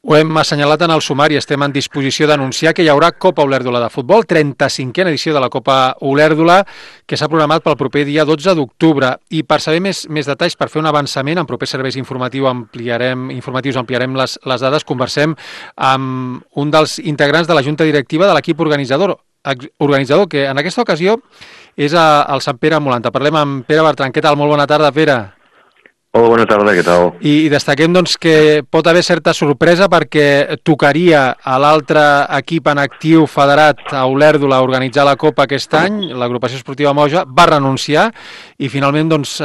Ho hem assenyalat en el sumari, estem en disposició d'anunciar que hi haurà Copa Olèrdola de futbol, 35a edició de la Copa Olèrdola, que s'ha programat pel proper dia 12 d'octubre. I per saber més detalls, per fer un avançament, en propers serveis informatius ampliarem les dades, conversem amb un dels integrants de la Junta Directiva de l'equip organitzador, que en aquesta ocasió és el Sant Pere Molanta. Parlem amb Pere Bertran. Què tal? Molt bona tarda, Pere. Hola, bona tarda, què tal? I destaquem doncs, que pot haver certa sorpresa perquè tocaria a l'altre equip en actiu federat a Olèrdola organitzar la Copa aquest any. L'agrupació esportiva Moja va renunciar i finalment doncs,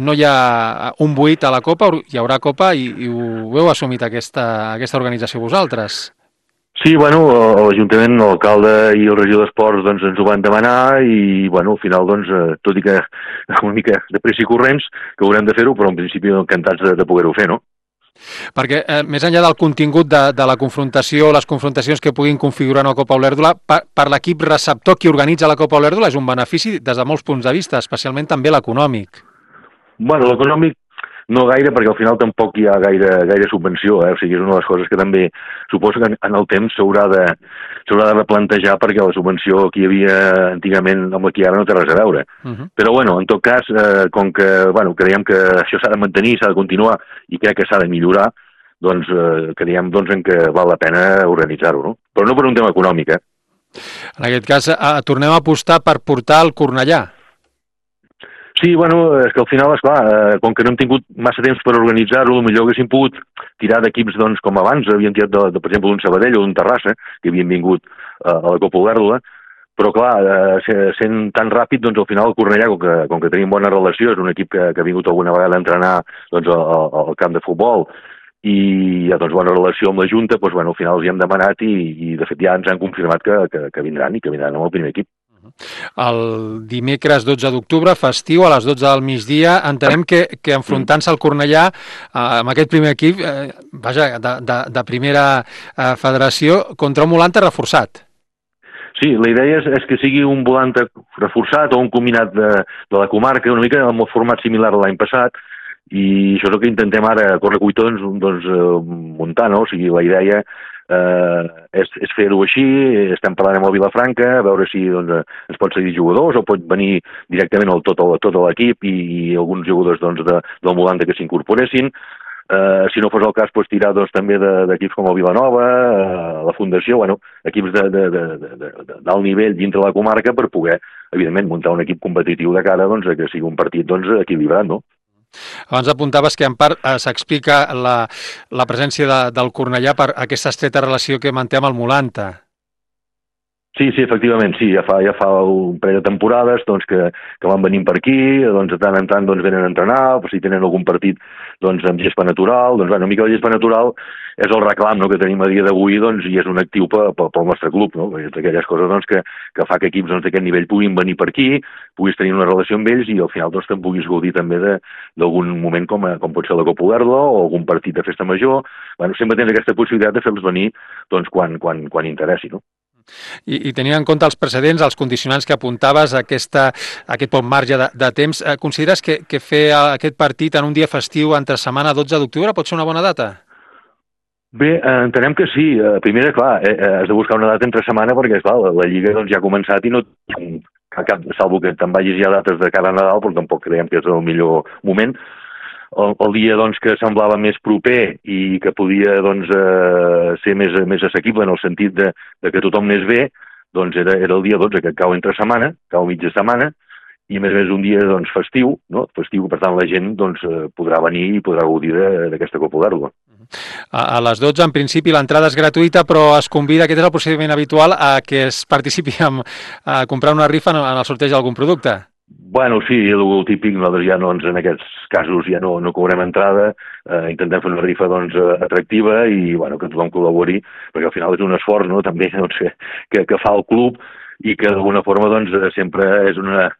no hi ha un buit a la Copa, hi haurà Copa i ho heu assumit aquesta organització vosaltres. Sí, bueno, l'Ajuntament, l'alcalde i el regidor d'Esports doncs, ens ho van demanar i, bueno, al final, doncs, tot i que una mica de pressa i corrents, que haurem de fer-ho, però en principi encantats de poder-ho fer, no? Perquè més enllà del contingut de la confrontació, les confrontacions que puguin configurar una Copa Olèrdola, per l'equip receptor qui organitza la Copa Olèrdola és un benefici des de molts punts de vista, especialment també l'econòmic. Bueno, l'econòmic no gaire, perquè al final tampoc hi ha gaire subvenció, O sigui, és una de les coses que també suposo que en el temps s'haurà de replantejar, perquè la subvenció que hi havia antigament amb la que ara no té res a veure. Però, bueno, en tot cas, com que, bueno, creiem que això s'ha de mantenir, s'ha de continuar i crec que s'ha de millorar, doncs creiem doncs, en que val la pena organitzar-ho, no? Però no per un tema econòmic, En aquest cas, tornem a apostar per portar el Cornellà. Sí, bueno, és que al final, esclar, com que no hem tingut massa temps per organitzar-ho, potser haguéssim pogut tirar d'equips doncs, com abans, havíem tirat, per exemple, d'un Sabadell o d'un Terrassa, que havien vingut a la Copa Olèrdola, però clar, sent tan ràpid, doncs al final el Cornellà, com que tenim bona relació, és un equip que ha vingut alguna vegada a entrenar doncs, al camp de futbol, i hi ha doncs, bona relació amb la Junta, doncs, bueno, al final els hi hem demanat i de fet ja ens han confirmat que vindran i que vindran amb el primer equip. El dimecres 12 d'octubre, festiu, a les 12 del migdia, entenem que enfrontant-se al Cornellà amb aquest primer equip, de primera federació, contra un Molanta reforçat. Sí, la idea és que sigui un Volanta reforçat o un combinat de la comarca, una mica amb el format similar a l'any passat, i això és el que intentem ara a correcuita doncs, muntar, no? O sigui, la idea és fer-ho així, estem parlant amb el Vilafranca, a veure si doncs, ens pot seguir jugadors o pot venir directament tot l'equip i alguns jugadors doncs, del Molanta que s'incorporessin. Si no fos el cas, doncs, tirar doncs, també d'equips com el Vilanova, la Fundació, bueno, equips d'alt nivell dintre la comarca per poder, evidentment, muntar un equip competitiu de cara doncs, que sigui un partit doncs, equilibrat, no? Abans apuntaves que en part s'explica la presència del Cornellà per aquesta estreta relació que manté amb el Molanta. Sí, efectivament, sí, ja fa un parell de temporades doncs, que van venint per aquí, doncs, de tant en tant doncs, venen a entrenar, si tenen algun partit doncs, amb gespa natural, doncs, una mica de gespa natural és el reclam, no?, que tenim a dia d'avui doncs, i és un actiu pel nostre club, no? És d'aquelles coses doncs, que fa que equips doncs, d'aquest nivell puguin venir per aquí, puguis tenir una relació amb ells i al final doncs, te'n puguis gaudir també d'algun moment com pot ser la Copa Olèrdola o algun partit de festa major. Bueno, sempre tens aquesta possibilitat de fer-los venir doncs, quan interessi, no? I tenint en compte els precedents, els condicionants que apuntaves, aquest bon marge de temps, consideres que fer aquest partit en un dia festiu entre setmana 12 d'octubre pot ser una bona data? Bé, entenem que sí. Primera, clar, has de buscar una data entre setmana perquè, clar, la Lliga doncs, ja ha començat i no salvo que te'n vagis ja a dates de cada Nadal, però tampoc creiem que és el millor moment. El dia doncs, que semblava més proper i que podia doncs, ser més assequible en el sentit de que tothom anés bé, doncs era el dia 12, que cau entre setmana, cau mitja setmana, i a més un dia doncs, festiu, no? Festiu, per tant la gent doncs, podrà venir i podrà gaudir d'aquesta Copa Olèrdola. A les 12, en principi, l'entrada és gratuïta, però es convida, aquest és el procediment habitual, a que es participi a comprar una rifa en el sorteig d'algun producte. Bueno, sí, el típic, nosaltres ja en aquests casos ja no cobrem entrada, intentem fer una rifa doncs, atractiva i bueno, que tothom col·labori, perquè al final és un esforç, no?, també doncs, que fa el club i que d'alguna forma doncs, sempre és una...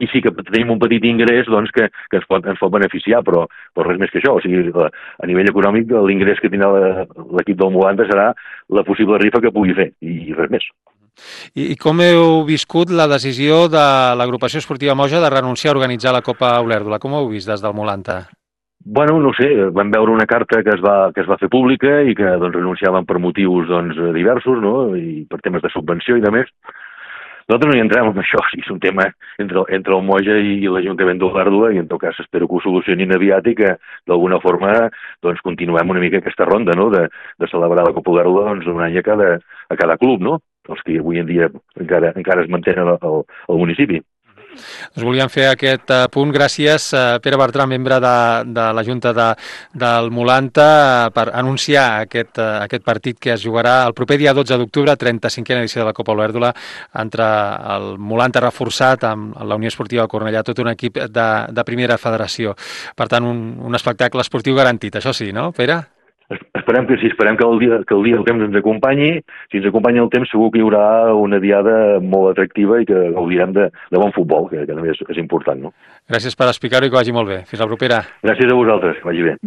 I sí que tenim un petit ingrés doncs, que ens pot beneficiar, però res més que això. O sigui, a nivell econòmic, l'ingrés que tindrà l'equip del Molanta serà la possible rifa que pugui fer, i res més. I com heu viscut la decisió de l'agrupació esportiva Moja de renunciar a organitzar la Copa Olèrdola? Com ho heu vist des del Molanta? Bueno, no sé, vam veure una carta que es va fer pública i que doncs, renunciaven per motius doncs, diversos, no? I per temes de subvenció i de més. Nosaltres no hi entrem en això, si és un tema entre el Moja i l'Ajuntament d'Olèrdola, i en tot cas espero que ho solucionin aviat i que d'alguna forma doncs, continuem una mica aquesta ronda, no? de celebrar la Copa Olèrdola doncs, un any a cada club, no? Els que avui en dia encara es mantenen al municipi. Us volíem fer aquest punt. Gràcies, Pere Bertran, membre de la Junta del Molanta, per anunciar aquest partit que es jugarà el proper dia 12 d'octubre, 35a edició de la Copa Olèrdola, entre el Molanta reforçat amb la Unió Esportiva de Cornellà, tot un equip de primera federació. Per tant, un espectacle esportiu garantit, això sí, no, Pere? Esperem que sí, esperem que el dia el temps ens acompanyi. Si ens acompanya el temps segur que hi haurà una diada molt atractiva i que gaudirem de bon futbol, que també és important, no? Gràcies per explicar-ho i que vagi molt bé. Fins la propera. Gràcies a vosaltres, que vagi bé.